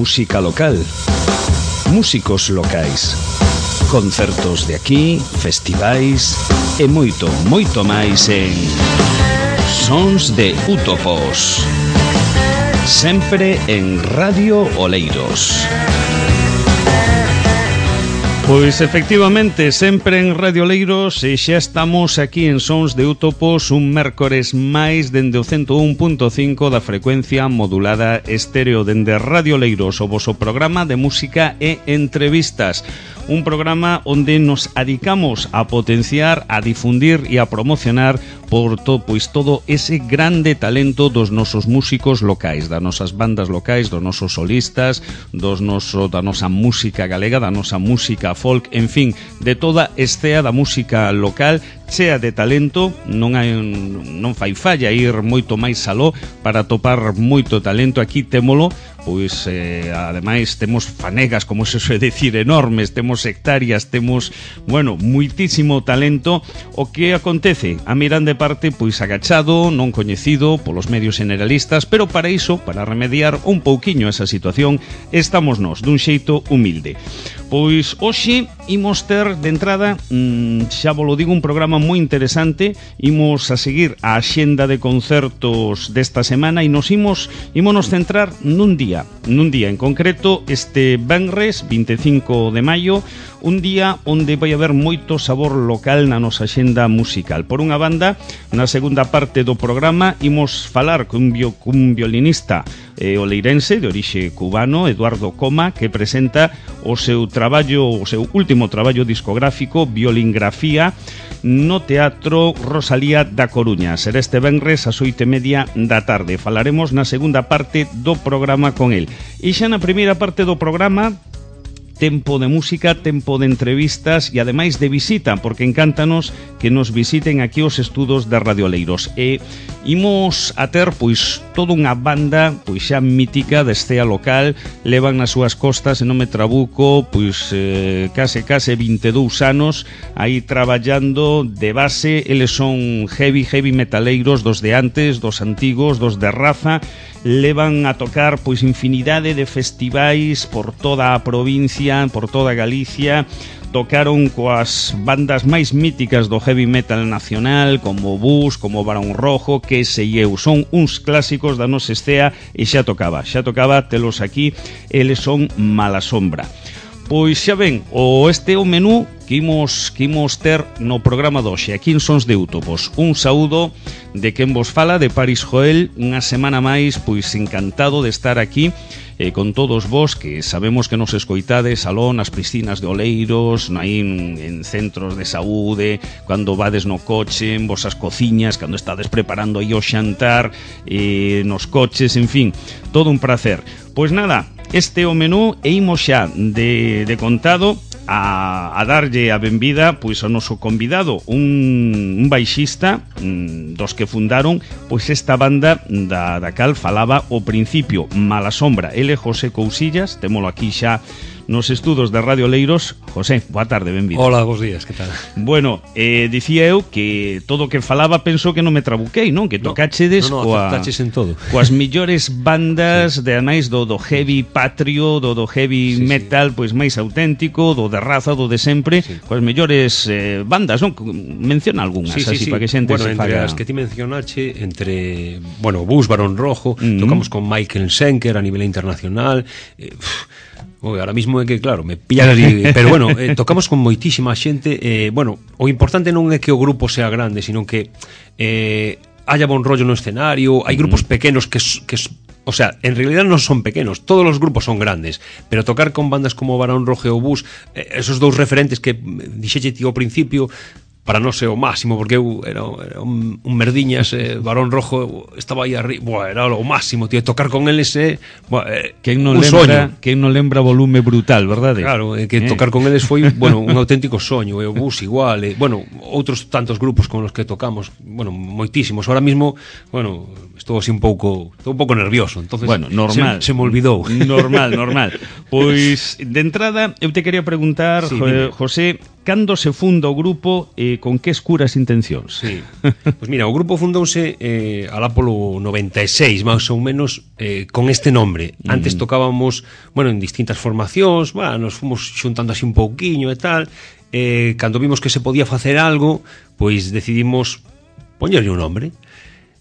música local, músicos locais, concertos de aquí, festivais e moito, moito máis en Sons de Útopos, sempre en Radio Oleiros. Pois efectivamente, sempre en Radio Oleiros, e xa estamos aquí en Sons de Útopos un mércores máis dende o 101.5 da frecuencia modulada estéreo dende Radio Oleiros, o voso programa de música e entrevistas. Un programa onde nos adicamos a potenciar, a difundir e a promocionar pois todo ese grande talento dos nosos músicos locais, das nosas bandas locais, dos nosos solistas, da nosa música galega, da nosa música folk, en fin, de toda estea da música local, chea de talento. Non fai falla ir moito máis aló para topar moito talento. Aquí témolo, pois ademais temos fanegas, como se suele decir, enormes, temos hectáreas, temos, bueno, muitísimo talento. O que acontece? A miran de parte, pois agachado, non coñecido polos medios generalistas, pero para iso, para remediar un pouquiño esa situación, estamos nós, dun xeito humilde. Pois hoxe imos ter de entrada, xa vos lo digo, un programa moi interesante. Imos a seguir a axenda de concertos desta semana e nos centrar nun día en concreto, este venres 25 de maio, un día onde vai haber moito sabor local na nosa axenda musical. Por unha banda, na segunda parte do programa imos falar cun violinista oleirense de orixe cubano, Eduardo Coma, que presenta o seu último traballo discográfico, Violingrafía, no Teatro Rosalía da Coruña. Será este venres ás 8:30 da tarde. Falaremos na segunda parte do programa con el. E xa na primeira parte do programa, tempo de música, tempo de entrevistas e ademais de visita, porque encántanos que nos visiten aquí os estudos da Radio Oleiros. E imos a ter, pois, toda unha banda, pois xa mítica da estea local. Levan nas súas costas, se non me trabuco, pois case 22 anos aí traballando de base. Eles son heavy metaleiros, dos de antes, dos antigos, dos de raza. Levan a tocar pois infinidade de festivais por toda a provincia, por toda Galicia. Tocaron coas bandas máis míticas do heavy metal nacional, como Bus, como Barón Rojo, que se eu. Son uns clásicos da nosa estea e xa tocaba telos aquí. Eles son Mala Sombra. Pois xa ven, este é o menú que imos ter no programa de hoxe, aquí en Sons de Útopos. Un saúdo de quen vos fala, de Paris Joel, unha semana máis, pois encantado de estar aquí con todos vos, que sabemos que nos escoitades aló nas piscinas de Oleiros, aí en centros de saúde, cando vades no coche, en vosas cociñas, cando estades preparando aí o xantar, nos coches, en fin, todo un placer. Pois nada, este é o menú e imos xa de contado a darlle a benvida pois ao noso convidado, un baixista dos que fundaron pois esta banda da cal falaba ao principio, Mala Sombra. Ele é José Cousillas, témolo aquí xa nos estudos de Radio Oleiros. José, boa tarde, benvido. Hola, bons días, que tal? Bueno, dicía eu que todo o que falaba penso que non me trabuquei, non? Que tocachedes acertaches en todo. Coas millores bandas de anais do heavy patrio, do heavy metal, pois máis auténtico, do de raza, do de sempre, coas millores bandas, non? Menciona algunhas, así para que xente se entre faga. as que ti mencionache, Bus, Barón Rojo, tocamos con Michael Schenker a nivel internacional. Ahora mismo é que, claro, me pillas así, pero bueno, tocamos con moitísima xente. O importante non é que o grupo sea grande, sino que haya bon rollo no escenario. Hai grupos pequenos que o sea, en realidad non son pequenos, todos os grupos son grandes, pero tocar con bandas como Barón Rojo ou Bus, esos dous referentes que dixeche ti ao principio, para non ser o máximo, porque eu era un merdiñas, Barón Rojo estaba aí arriba, era o máximo, tío, tocar con eles quen non lembra volume brutal, verdade? Claro, que tocar con eles foi, un auténtico soño. E o Bus igual, outros tantos grupos con os que tocamos, moitísimos. Ahora mismo, estou así un pouco nervioso, entonces normal. Se me olvidou. Normal. Pois, de entrada, eu te quería preguntar, José, cando se funda o grupo, con que escuras intencións? Sí. Pues mira, o grupo fundouse alá polo 96, máis ou menos, con este nombre. Antes tocábamos, bueno, en distintas formacións, bueno, nos fomos xuntando así un pouquiño e tal. Cando vimos que se podía facer algo, pois decidimos poñerlle un nombre.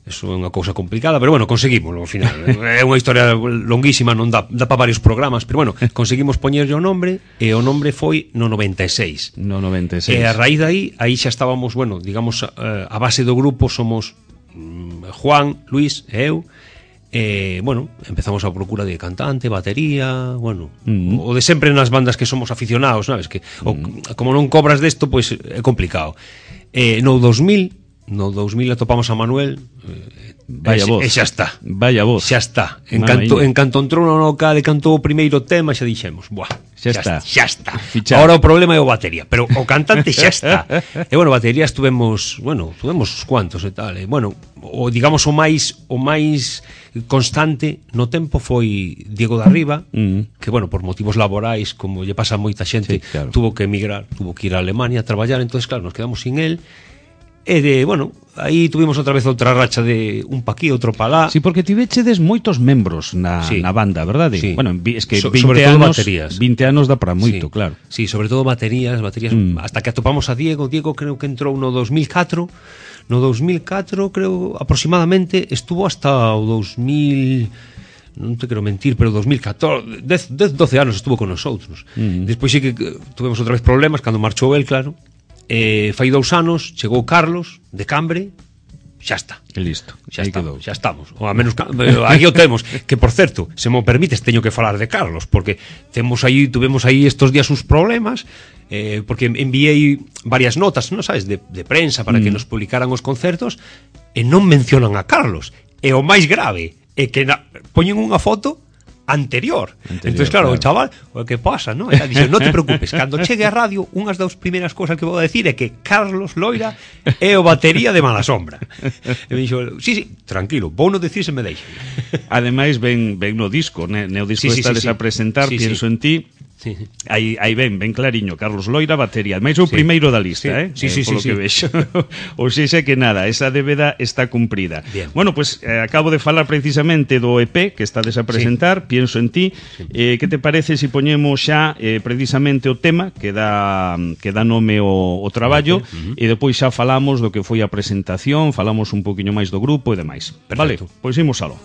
Eso é unha cousa complicada, pero bueno, conseguimos ao final. É unha historia longuísima, non dá para varios programas, pero bueno, conseguimos poñerlle o nombre, e o nombre foi no 96. No 96. E a raíz de aí xa estábamos, bueno, digamos, a base do grupo somos Juan, Luis e eu. Bueno, empezamos a procura de cantante, batería, bueno, o de sempre nas bandas que somos aficionados, sabes, que como non cobras desto, pois é complicado. No 2000 atopamos a Manuel, vaya voz. E xa está. Vaya voz. Xa está. En canto entrou no local e cantou o primeiro tema, xa dixemos, buah, xa está. Fichado. Agora o problema é o batería, pero o cantante xa está. E bueno, batería tuvemos cuantos e tal. E bueno, digamos o máis constante no tempo foi Diego da Riva, que bueno, por motivos laborais, como lle pasa a moita xente, sí, claro, tuvo que emigrar, tuvo que ir a Alemania a traballar, entonces claro, nos quedamos sin él. E bueno, aí tuvimos outra vez outra racha de un pa aquí, outro pa lá. Sí, porque tivechedes moitos membros na banda, verdade? Sí. Bueno, es que 20 anos, baterías. 20 anos dá para moito, sí, claro. Sí, sobre todo baterías, hasta que atopamos a Diego creo que entrou no 2004. No 2004, creo, aproximadamente, estuvo hasta o 2000... non te quero mentir, pero 2014, 12 anos estuvo con nosotros. Despois sí que tuvemos outra vez problemas cando marchou el, claro. Fai 2 anos chegou Carlos de Cambre, xa está. E listo. Xa estamos. Ou a menos aquí o temos, que por certo, se mo permites, teño que falar de Carlos, porque tuvemos aí estos días uns problemas, porque enviei varias notas, non sabes, de prensa para que nos publicaran os concertos, e non mencionan a Carlos. E o máis grave é que poñen unha foto anterior. Entonces, claro, o chaval, o que pasa, ¿no? Dice, non te preocupes, cando chegue a radio, unhas das primeiras cousas que vou decir é que Carlos Loira é o batería de Mala Sombra. E me dixo, sí, tranquilo, vou non decir se me deixa. Ademais, ven no disco, no disco estades a presentar, Pienso en ti. Sí. Aí ben clariño, Carlos Loira, batería. Ademais, o primeiro da lista, polo que vexo. Ou seja que nada, esa débeda está cumprida. Bien. Bueno, pues acabo de falar precisamente do EP que estades a presentar, Pienso en ti. Que te parece se poñemos xa precisamente o tema que dá nome o traballo, e depois xa falamos do que foi a presentación, falamos un poquinho máis do grupo e demais. Perfecto. Vale, pois imos aló.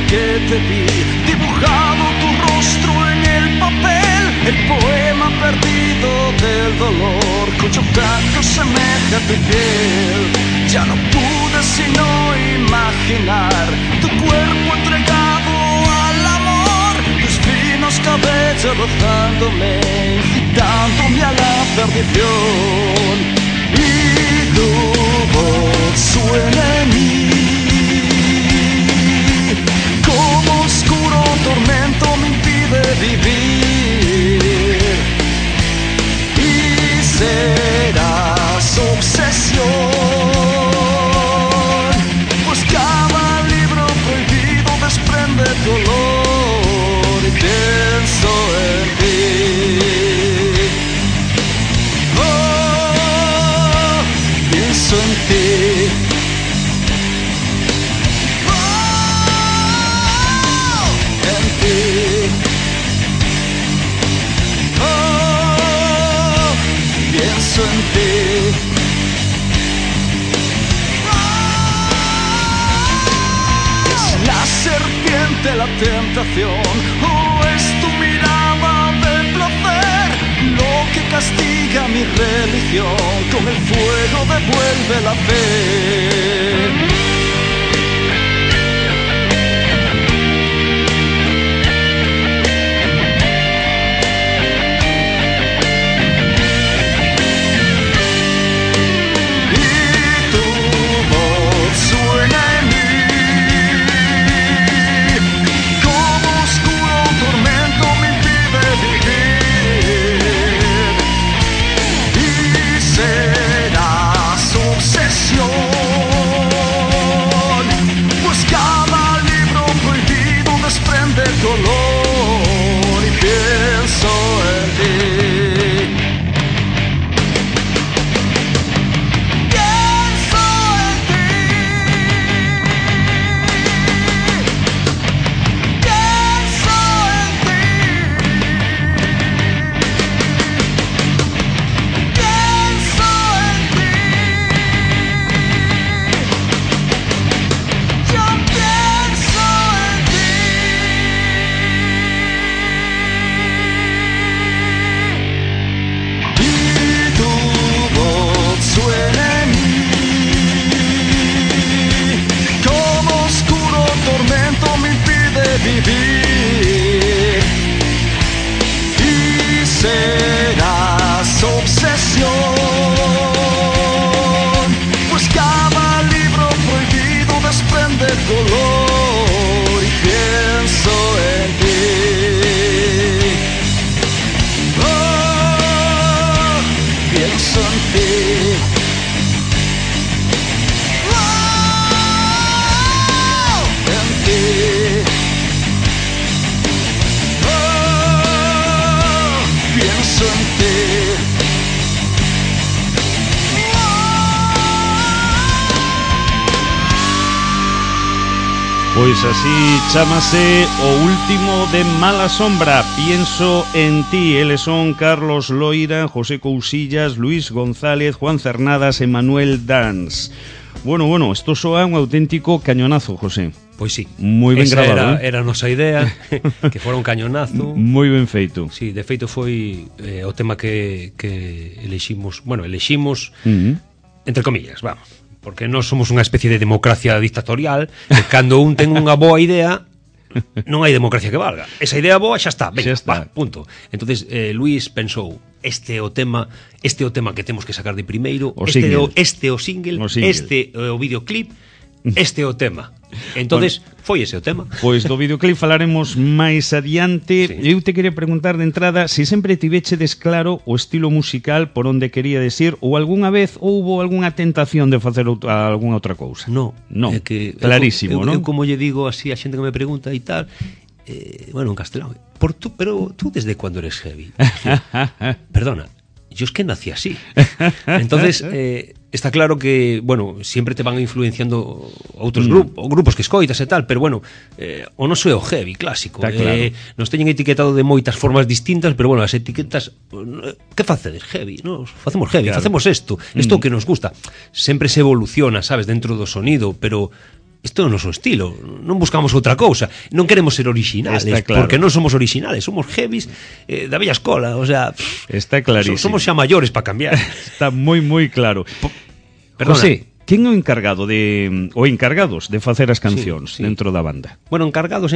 Que te vi, dibujado tu rostro en el papel, el poema perdido del dolor, cuyo canto semeja a tu piel. Ya no pude sino imaginar tu cuerpo entregado al amor, tus finos cabellos rozándome, incitándome a la perdición. Y tu voz suena en mí como oscuro tormento, me impide vivir. Y serás obsesión, pues cada libro prohibido desprende tu olor. Y pienso en ti. Oh, pienso en ti. Pienso en ti. Es la serpiente la tentación, o es tu mirada de placer lo que castiga mi religión, con el fuego devuelve la fe. Pois así chámase o último de Mala Sombra, Pienso en ti. Eles son Carlos Loira, José Cousillas, Luis González, Juan Cernadas e Manuel Dans. Bueno, isto soa un auténtico cañonazo, José. Pois sí. Moi ben grabado. Era a nosa idea, que fora un cañonazo. Moi ben feito. Sí, de feito foi o tema que eleximos, entre comillas, vamos. Porque nós somos unha especie de democracia dictatorial, que cando un ten unha boa idea, non hai democracia que valga. Esa idea boa xa está, venga, va, punto. Entonces Luis pensou, este é o tema que temos que sacar de primeiro, este é o single, este é o videoclip, este é o tema. Entonces, foi ese o tema. Pois do videoclip falaremos máis adiante. Sí. Eu te quería preguntar de entrada se sempre tivechedes claro o estilo musical por onde quería decir, ou algunha vez houbo algunha tentación de facer algunha outra cousa. No, é que clarísimo, non? Eu como lle digo así a xente que me pregunta e tal, bueno, en castelán, pero tú desde cando eres heavy? Perdona, yo es que nací así. Entonces, está claro que, bueno, siempre te van influenciando outros grupos que escoitas e tal, pero bueno, o noso é o heavy clásico. Claro. Nos teñen etiquetado de moitas formas distintas, pero bueno, as etiquetas, que facedes? Heavy, nos facemos heavy, claro. Facemos isto que nos gusta. Sempre se evoluciona, sabes, dentro do sonido, pero isto é o noso estilo, non buscamos outra cousa, non queremos ser originales, claro. Porque non somos originales, somos heavies da vella escola, o sea, está clarísimo. Somos xa maiores para cambiar. Está moi claro. Perdona. José, quen é o encargado encargados de facer as cancións dentro da banda? Bueno, encargados,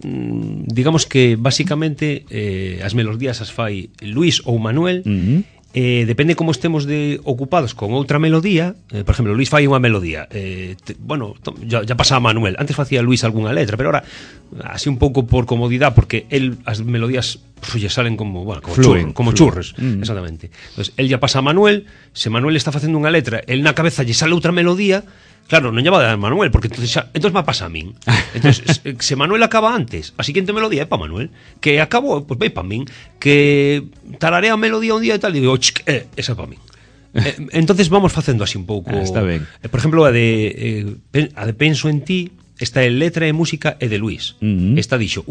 digamos que basicamente as melodías as fai Luis ou Manuel. Depende como estemos ocupados con outra melodía. Por exemplo, Luis fai unha melodía, ya pasa a Manuel. Antes facía Luis algunha letra, pero ahora así un pouco por comodidade, porque as melodías lle salen como churros, exactamente. Entonces, el ya pasa a Manuel. Se Manuel está facendo unha letra, el na cabeza lle sale outra melodía. Claro, non lle va a dar a Manuel, porque entonces va a pasar a min. Entonces, se Manuel acaba antes, a siguiente melodía é para Manuel. Que acabou, pois vai para min. Que tararea a melodía un día e tal, e digo, esa é para min. Entonces vamos facendo así un pouco. Está ben. Por exemplo, a de Penso en ti, esta é letra e música é de Luis. Esta dixo,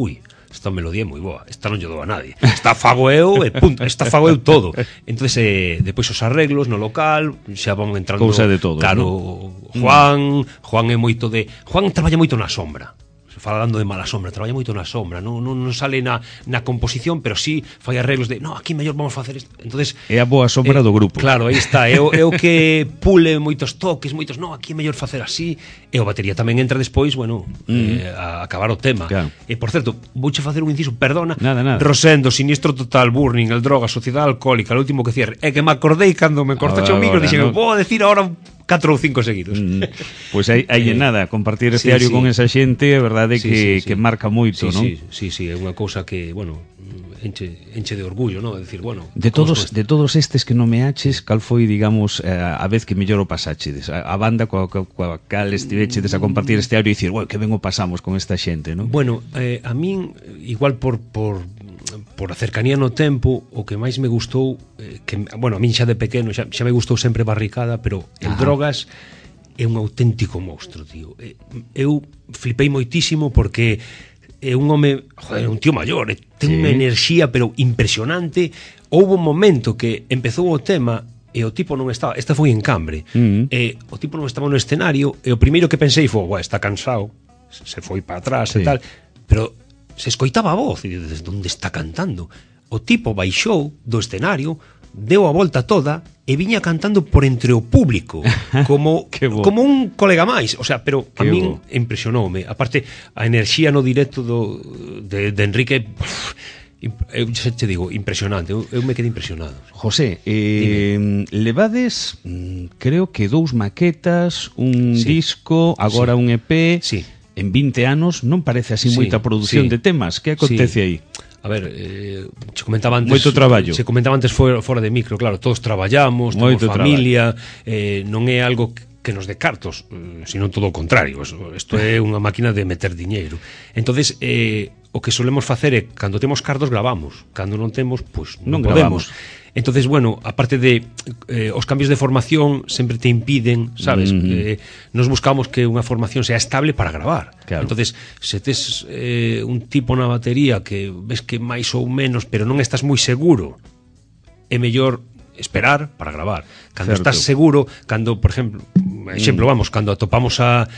esta melodía é moi boa, esta non lle dou a nadie, esta fago eu e punto, esta fago eu todo. Entonces depois os arreglos no local xa van entrando cousa de todo, claro, ¿no? Juan é moito Juan traballa moito na sombra. Falando de Mala Sombra, traballa moito na sombra, non sale na composición, pero sí fai arreglos de, aquí mellor vamos facer isto. Entonces é a boa sombra do grupo. Claro, aí está, é o que pule moitos toques, aquí é mellor facer así. E o batería tamén entra despois, a acabar o tema. Claro. E por certo, vouche facer un inciso, perdona. Nada. Rosendo, Sinistro Total, Burning, El Droga, Sociedade Alcohólica, o último que cierre. É que me acordei cando me cortache o micro, dixen, vou decir ahora 4 ou 5 seguidos. Pois hai nada, compartir este diario con esa xente, a verdade que marca moito, non? Sí, é unha cousa que, enche de orgullo, non? Decir, de todos estes que nomeaches, cal foi, digamos, a vez que mellor o pasachedes? A banda coa cal estivechedes a compartir este diario e dicir, que ben o pasamos con esta xente, non? Bueno, a min, igual por a cercanía no tempo, o que máis me gustou, a min xa de pequeno xa me gustou sempre Barricada, pero el Drogas é un auténtico monstro, tío. Eu flipei moitísimo porque é un home, un tío maior, ten unha enerxía pero impresionante. Houve un momento que empezou o tema e o tipo non estaba, esta foi en Cambre, e o tipo non estaba no escenario, e o primeiro que pensei foi, está cansado, se foi para atrás e tal, pero se escoitaba a voz, e desde onde está cantando. O tipo baixou do escenario, deu a volta toda e viña cantando por entre o público, como un colega máis, o sea, pero a min impresionoume. Aparte, a enerxía no directo de Enrique, eu xa te digo, impresionante. Eu me quedei impresionado. José, levades, creo que 2 maquetas, un disco, agora un EP. Sí. En 20 anos non parece así moita produción de temas. Que acontece aí? A ver, se comentaba antes, moito traballo. Se comentaba antes fora de micro, claro, todos traballamos, temos familia, non é algo que nos dé cartos, sino todo o contrario. Isto é unha máquina de meter diñeiro. Entonces, o que solemos facer é, cando temos cartos, gravamos. Cando non temos, pois non podemos. Entonces, bueno, aparte de os cambios de formación sempre te impiden, sabes? Nos buscamos que unha formación sea estable para gravar. Claro. Entonces, se tes un tipo na batería que ves que máis ou menos, pero non estás moi seguro, é mellor esperar para gravar. Cando estás seguro, cando, por exemplo, vamos, cando atopamos a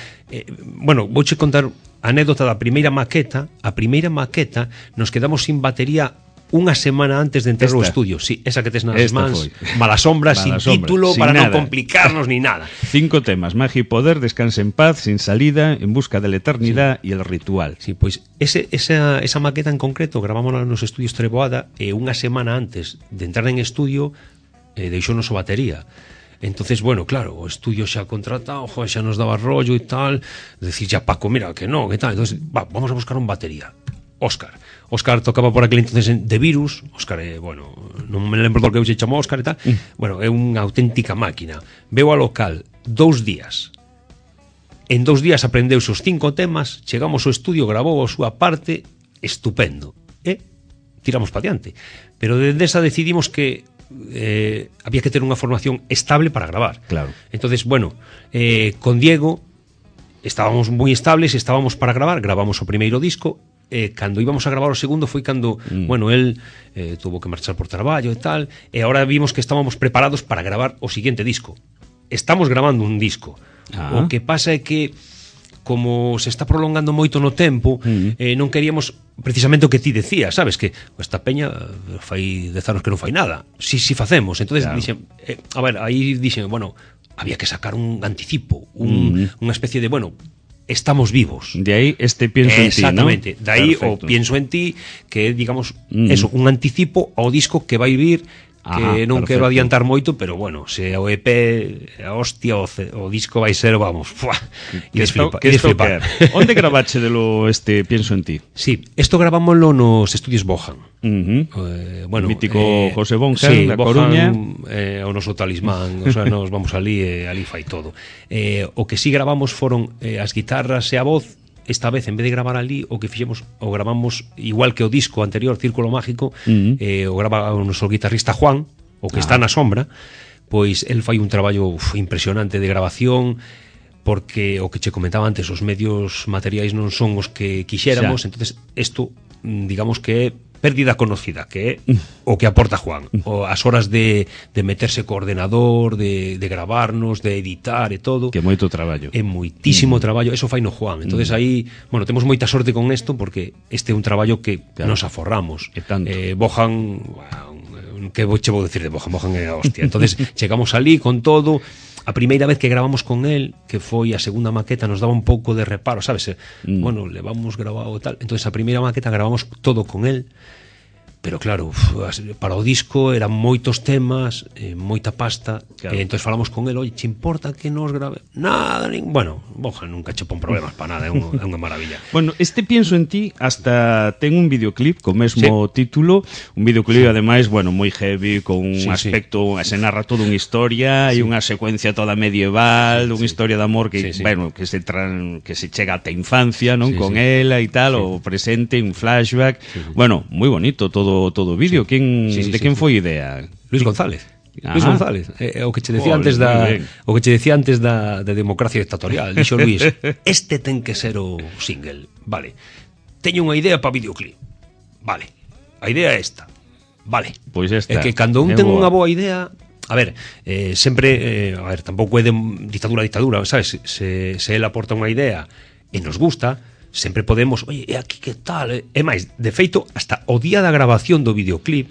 bueno, vouche contar a anécdota da primeira maqueta. A primeira maqueta nos quedamos sin batería unha semana antes de entrar ao estudio. Sí, esa que tes nas mans, Mala Sombra, sin título, sin para nada. Non complicarnos ni nada. 5 temas: Magia y Poder, Descanse en Paz, Sin Salida, En Busca de la Eternidad y El Ritual. Sí, pois esa maqueta en concreto gravámola nos estudios Treboada, e unha semana antes de entrar en estudio deixounos o batería. Entonces, bueno, claro, o estudio xa contratado, xa nos daba rollo e tal, decir xa Paco, mira, que non, que tal. Entonces, vamos a buscar un batería. Óscar tocaba por aquel entonces de Virus. Óscar, bueno, non me lembro do que eu se chamo Óscar e tal. Bueno, é unha auténtica máquina. Veu ao local 2 días. En 2 días aprendeuse os 5 temas, chegamos ao estudio, grabou a súa parte, estupendo. E tiramos pa diante. Pero desde esa decidimos que había que ter unha formación estable para gravar. Claro. Entonces, bueno, con Diego estábamos moi estables, estábamos para gravar, gravamos o primeiro disco. Cando íbamos a gravar o segundo foi cando, bueno, él tuvo que marchar por traballo e tal, e agora vimos que estábamos preparados para gravar o siguiente disco. Estamos grabando un disco. O que pasa é que, como se está prolongando moito no tempo, non queríamos precisamente o que ti decías, sabes, que esta peña fai 10 anos que non fai nada. Si facemos. Entonces, claro, dixen, a ver, aí dixen, bueno, había que sacar un anticipo, unha especie de, bueno, estamos vivos. De aí este pienso en ti, ¿no? Exactamente. De aí o pienso en ti, que digamos, eso, un anticipo ao disco que vai vir, que non quero adiantar moito, pero bueno, se o EP a hostia, o disco vai ser, vamos, e desflipar. Onde gravache delo este pienso en ti? Sí, isto gravámoslo nos estudios Bojan. Bueno, mítico José Bonjan, sí, da Coruña, o noso talismán, o sea, nos vamos ali e ali fai todo. O que sí gravamos foron as guitarras e a voz. Esta vez, en vez de gravar ali, o que fixemos, o gravamos igual que o disco anterior, Círculo Mágico, o grava o noso guitarrista Juan, o que está na sombra, pois el fai un traballo impresionante de grabación, porque o que che comentaba antes, os medios materiais non son os que quixéramos, entonces isto, digamos que é pérdida conocida, que é o que aporta Juan, o as horas de meterse co ordenador, de gravarnos, de editar e todo, que é moito traballo, é moitísimo traballo, eso fai no Juan. Entonces aí, bueno, temos moita sorte con isto, porque este é un traballo que nos aforramos. Bojan, que che vou decir de Bojan é a hostia. Entonces chegamos ali con todo. A primeira vez que gravamos con él, que foi a segunda maqueta, nos daba un pouco de reparo, sabes? Bueno, levamos grabado e tal. Entonces a primeira maqueta gravamos todo con él. Pero claro, para o disco eran moitos temas, moita pasta, claro. Entonces falamos con él, oye, che importa que nos grave? Nada, bueno, Bojan nunca che pon problemas para nada, é unha maravilla. Bueno, este pienso en ti hasta ten un videoclip co mesmo título, un videoclip ademais, bueno, moi heavy, con un aspecto, se narra toda unha historia e unha secuencia toda medieval, unha historia de amor que, bueno, que se chega ata a infancia, non, con ela e tal, o presente, un flashback, bueno, moi bonito todo o vídeo. De quen foi idea? Luis González. Luis González, o que che decía antes da democracia dictatorial. Dixo Luis, este ten que ser o single. Vale. Teño unha idea para videoclip. Vale. A idea é esta. Vale. Pois esta. É que cando un ten unha boa idea, a ver, sempre, a ver, tampouco é de dictadura, sabes? Se el aporta unha idea e nos gusta, sempre podemos, oye, e aquí que tal? É máis, de feito, hasta o día da grabación do videoclip,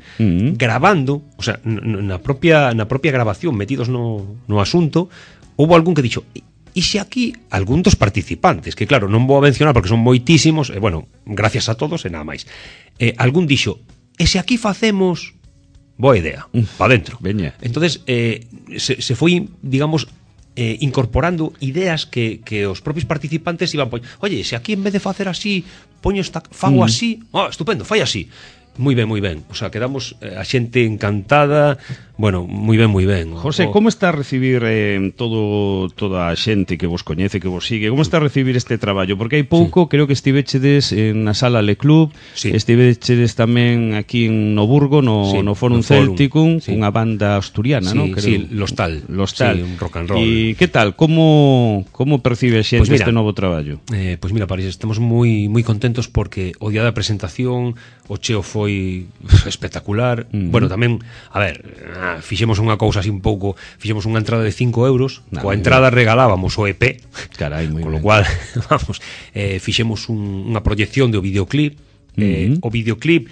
grabando, o sea, na propia grabación, metidos no asunto, houve algún que dixo, e se aquí algún dos participantes, que claro, non vou a mencionar porque son moitísimos, e bueno, gracias a todos e nada máis, algún dixo, e se aquí facemos, boa idea, pa dentro. Veña. Entonces, se foi, digamos, incorporando ideas que os propios participantes iban, oye, se aquí en vez de facer así, fago así, estupendo, fai así. Moi ben, moi ben. O sea, quedamos a xente encantada. Bueno, moi ben. José, como está a recibir toda a xente que vos coñece, que vos sigue? Como está a recibir este traballo? Porque hai pouco, creo que estivechedes na sala Le Club, estivechedes tamén aquí en Noburgo, no Forum Celticum, unha banda asturiana, ¿no? Sí, Lostal. Sí, un rock and roll. E que tal? Como percibe a xente este novo traballo? Pois mira, París, estamos moi contentos porque o día da presentación o cheo foi espectacular. Bueno, tamén, a ver, fixemos unha cousa así un pouco, fixemos unha entrada de 5 euros, coa entrada regalábamos o EP. Carai, moi con lo cual, vamos, fixemos unha proyección do videoclip. O videoclip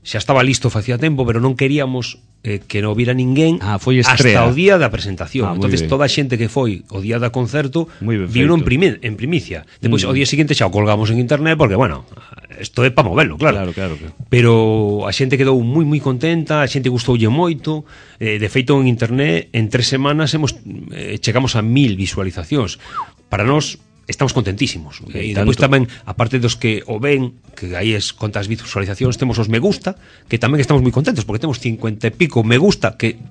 xa estaba listo facía tempo, pero non queríamos que non vira ninguén hasta o día da presentación. Entonces toda a xente que foi o día da concerto viu en primicia. Depois o día seguinte xa o colgamos en internet porque, bueno, isto é para moverlo, claro. Pero a xente quedou moi contenta, a xente gustoulle moito. De feito, en internet en 3 semanas chegamos a 1000 visualizacións. Para nós estamos contentísimos. E depois tamén, aparte dos que o ven, que aí es contas visualizacións, temos os me gusta, que tamén estamos moi contentos, porque temos 50 e pico me gusta, que,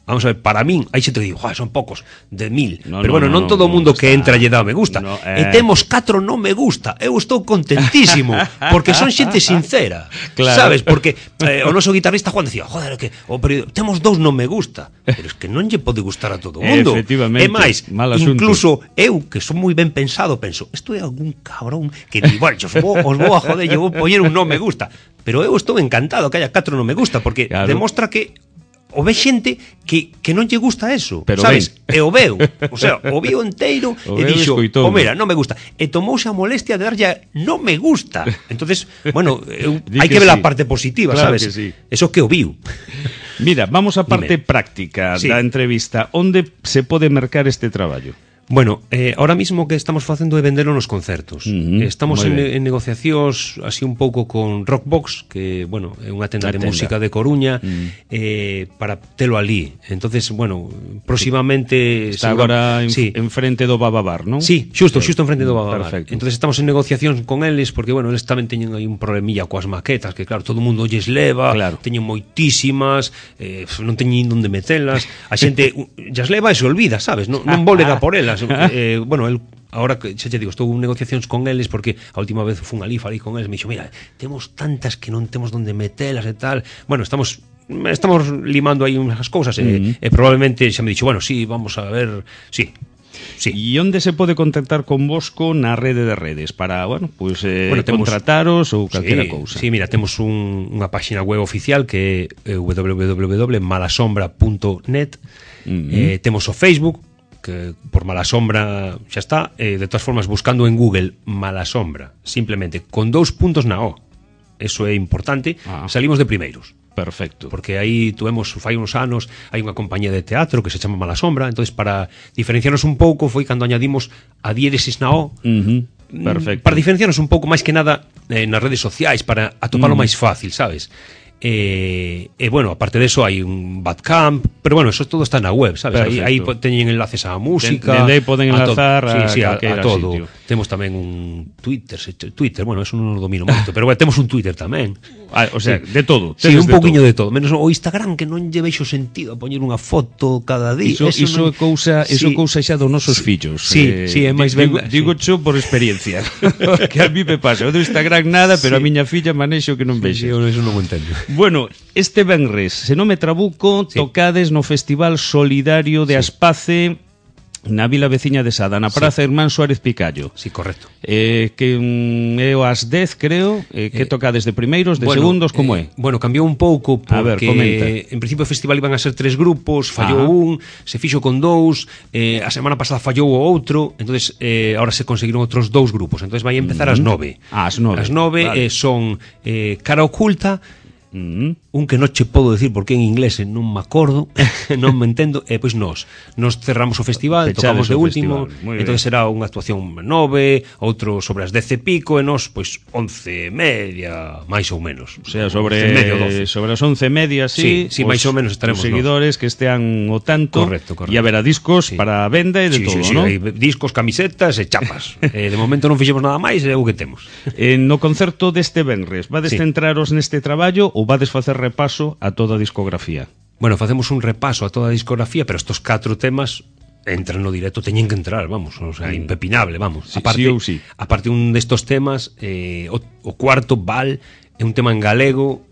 vamos a ver, para min, aí xe te digo, son pocos, de 1000. Pero bueno, non todo o mundo que entra lle dá me gusta. E temos 4 non me gusta. Eu estou contentísimo, porque son xente sincera. Sabes? Porque o noso guitarrista Juan decía, joder, que temos 2 non me gusta. Pero es que non lle pode gustar a todo o mundo. Efectivamente. É máis, incluso eu, que son moi ben pensado, penso, isto é algún cabrón que di, bueno, os vou a joder, eu vou poñer un non me gusta. Pero eu estou encantado que haya 4 non me gusta, porque demostra que o ve xente que non lle gusta eso, pero sabes? E o veu, o sea, o vio enteiro e dixo, mira, non me gusta. E tomouse a molestia de darlle non me gusta. Entonces, bueno, hai que ver a parte positiva, sabes? Eso que o viu. Mira, vamos á parte práctica da entrevista. Onde se pode mercar este traballo? Bueno, ahora mismo que estamos facendo é vendelo nos concertos. Estamos en negociacións así un pouco con Rockbox, que, bueno, é unha tenda de música de Coruña, para telo ali. Entonces, bueno, próximamente está agora en frente do Bababar, non? Sí, xusto en frente do Bababar. Perfecto. Entonces estamos en negociacións con eles, porque, bueno, eles tamén teñen aí un problemilla coas maquetas, que claro, todo o mundo lles leva, teñen moitísimas, non teñen onde metelas, a xente lles leva e se olvida, sabes? Non volega por elas. Bueno, ahora que xa te digo, estou en negociacións con eles porque a última vez fun ali, falei con eles, me dixo, mira, temos tantas que non temos onde metelas e tal. Bueno, estamos limando aí unhas cousas e probablemente xa me dixo, bueno, sí, vamos a ver, sí. E onde se pode contactar con Bosco na rede de redes para, bueno, pues contrataros ou calquera cousa? Sí, mira, temos unha páxina web oficial que é www.malasombra.net. Temos o Facebook, que por Malasombra xa está, de todas formas buscando en Google Malasombra, simplemente con 2 puntos na O, eso é importante, salimos de primeiros. Perfecto. Porque aí tuvemos, fai uns anos, hai unha compañía de teatro que se chama Malasombra, entonces para diferenciarnos un pouco foi cando añadimos a diéresis na O. Perfecto. Para diferenciarnos un pouco máis que nada nas redes sociais, para atopalo máis fácil, sabes? Bueno, aparte de eso hai un Bandcamp, pero bueno, eso todo está na web, sabes? Aí teñen enlaces á música, dende aí poden enlazar a todo. Sitio. Temos tamén un Twitter, bueno, eso non o domino moito, pero bueno, temos un Twitter tamén. O sea, de todo. Sí, un pouquiño de todo, menos o Instagram, que non lle veixo sentido a poñer unha foto cada día. Iso é cousa xa dos nosos fillos. Sí, é máis ben. Digo xo por experiencia. Que a mí me pasa, o do Instagram nada, pero a miña filla manexo que non vexe. Eu eso non o entendo. Bueno, este venres, se non me trabuco, tocades no Festival Solidario de Aspace, na vila veciña de Sada, na Praza Hermán Suárez Picallo. Sí, correcto. Que é o as 10, creo, que tocades de primeiros, de segundos, como é? Bueno, cambiou un pouco porque en principio o festival iban a ser 3 grupos, fallou un, se fixo con 2, a semana pasada fallou o outro, entonces ahora se conseguiron outros 2 grupos, entonces vai empezar ás 9. Ás 9. As 9 son Cara Oculta, un que non che podo decir porque en inglés non me acordo, non me entendo, e pois nos cerramos o festival, Fechades tocamos de o último, entón será unha actuación 9, outro sobre as 10 e pico, e nos pois 11 e media, máis ou menos. O sea, sobre as 11 e media, sí, máis ou menos estaremos os seguidores que estean o tanto, correcto. E haberá discos para a venda e de todo, non? Hai discos, camisetas e chapas. De momento non fixemos nada máis, é o que temos. No concerto deste venres, vades centraros neste traballo ou vades facer repaso a toda a discografía? Bueno, facemos un repaso a toda a discografía, pero estos 4 temas entran no directo, teñen que entrar, vamos, o sea, impepinable, vamos. Aparte un destos temas, o cuarto, Val, é un tema en galego,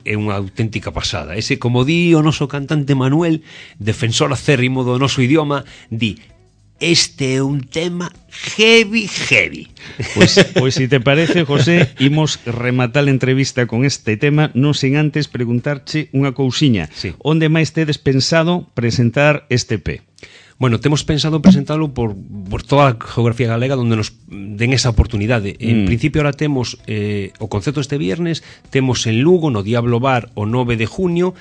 é unha auténtica pasada. Ese, como di o noso cantante Manuel, defensor acérrimo do noso idioma, di: este é un tema heavy. Pois se te parece, José, imos rematar a entrevista con este tema, non sen antes preguntarche unha cousiña. Onde máis tedes pensado presentar este EP? Bueno, temos pensado presentalo por toda a geografía galega onde nos den esa oportunidade. En principio ahora temos o concerto este viernes, temos en Lugo, no Diablo Bar, o 9 de junio,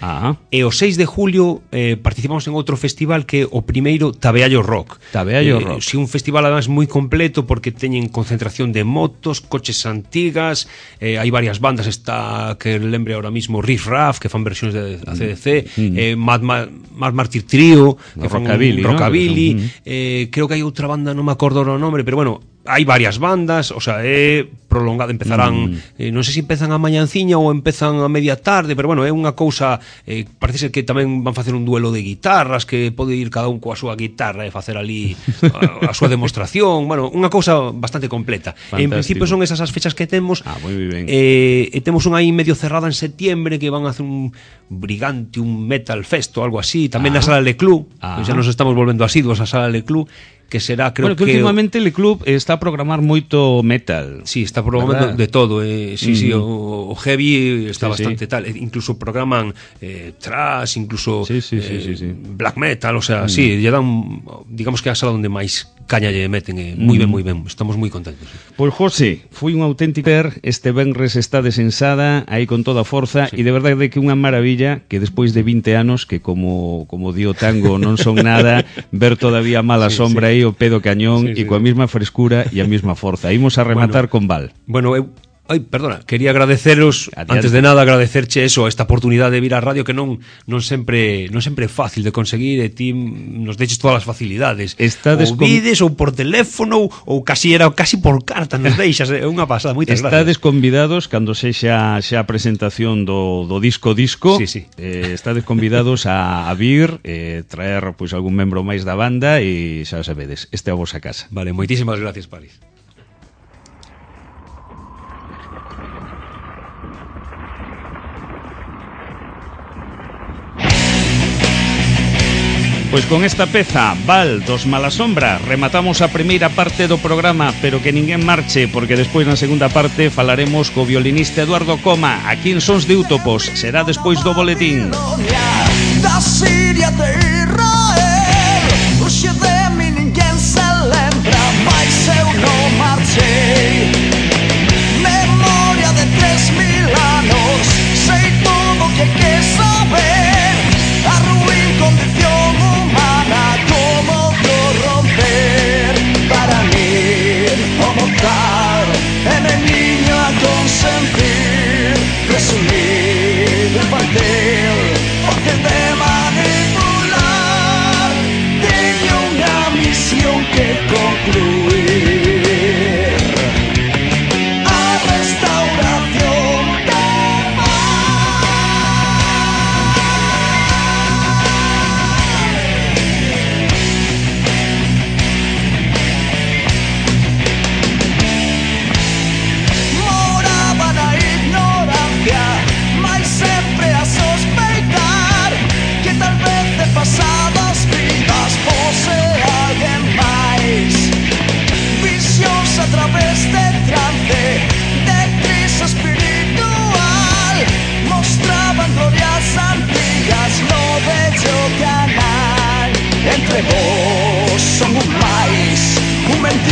e o 6 de julio participamos en outro festival que é o primeiro Tabeallo Rock. Rock. Si un festival además moi completo porque teñen concentración de motos, coches antigas, hai varias bandas, está que lembre ahora mismo Riff Raff, que fan versións de ACDC, Mad Martyr Trio, que fan Rockabilly, creo que hai outra banda, non me acordo o nome, pero bueno, hai varias bandas, o sea, é prolongado, empezarán, non sei se empezan a mañanciña ou empezan a media tarde, pero bueno, é unha cousa, parece ser que tamén van facer un duelo de guitarras, que pode ir cada un coa súa guitarra e facer ali a súa demostración, bueno, unha cousa bastante completa. En principio son esas as fechas que temos, e temos unha aí medio cerrada en septiembre que van a hacer un Brigante, un Metal Fest ou algo así, tamén na Sala Le Club, xa nos estamos volvendo asiduos a Sala Le Club, que será, creo que últimamente Le Club está a programar moito metal. Sí, está programando de todo, o heavy está bastante tal, incluso programan thrash, incluso black metal, o sea, lle dan, digamos que a sala onde máis caña lle meten, moi ben, estamos moi contentos. Pois José, foi un auténtico este venres está desensada aí con toda a forza, e de verdade que unha maravilla que despois de 20 anos, que como dio Tango non son nada, ver todavía mala sombra aí o pedo cañón e coa mesma frescura e a mesma forza. Imos a rematar con Val. Bueno, perdona, quería agradeceros, antes de nada agradecerche eso, esta oportunidade de vir á radio que non sempre é fácil de conseguir, e ti nos deixes todas as facilidades. Ou vides, ou por teléfono, ou casi por carta nos deixas, é unha pasada, moitas gracias. Estades convidados cando sexa a presentación do disco, estades convidados a vir, traer pois algún membro máis da banda, e xa sabedes, esta é a vosa casa. Vale, moitísimas gracias, Paris. Pois con esta peza, Val, dos Malasombra, rematamos a primeira parte do programa, pero que ninguén marche, porque despois na segunda parte falaremos co violinista Eduardo Coma, aquí en Sons de Útopos, será despois do boletín. Da Siria de Israel, hoxe de mi ninguén se lembra, mais eu non marchei. Memoria de 3000 anos, sei todo o que quer saber, a ruín condición humana, como corromper. Para mí, o mortal, é niño a consentir, presumir, partir, porque de manipular, teño unha misión que concluir. A restauración da moraba na ignorancia, mais sempre a sospeitar que tal vez de pasadas vidas fosse alguén máis. Visións a través de trance, de crise espiritual, mostraban glorias antigas no bello canal. Entre vos son un máis, un mental.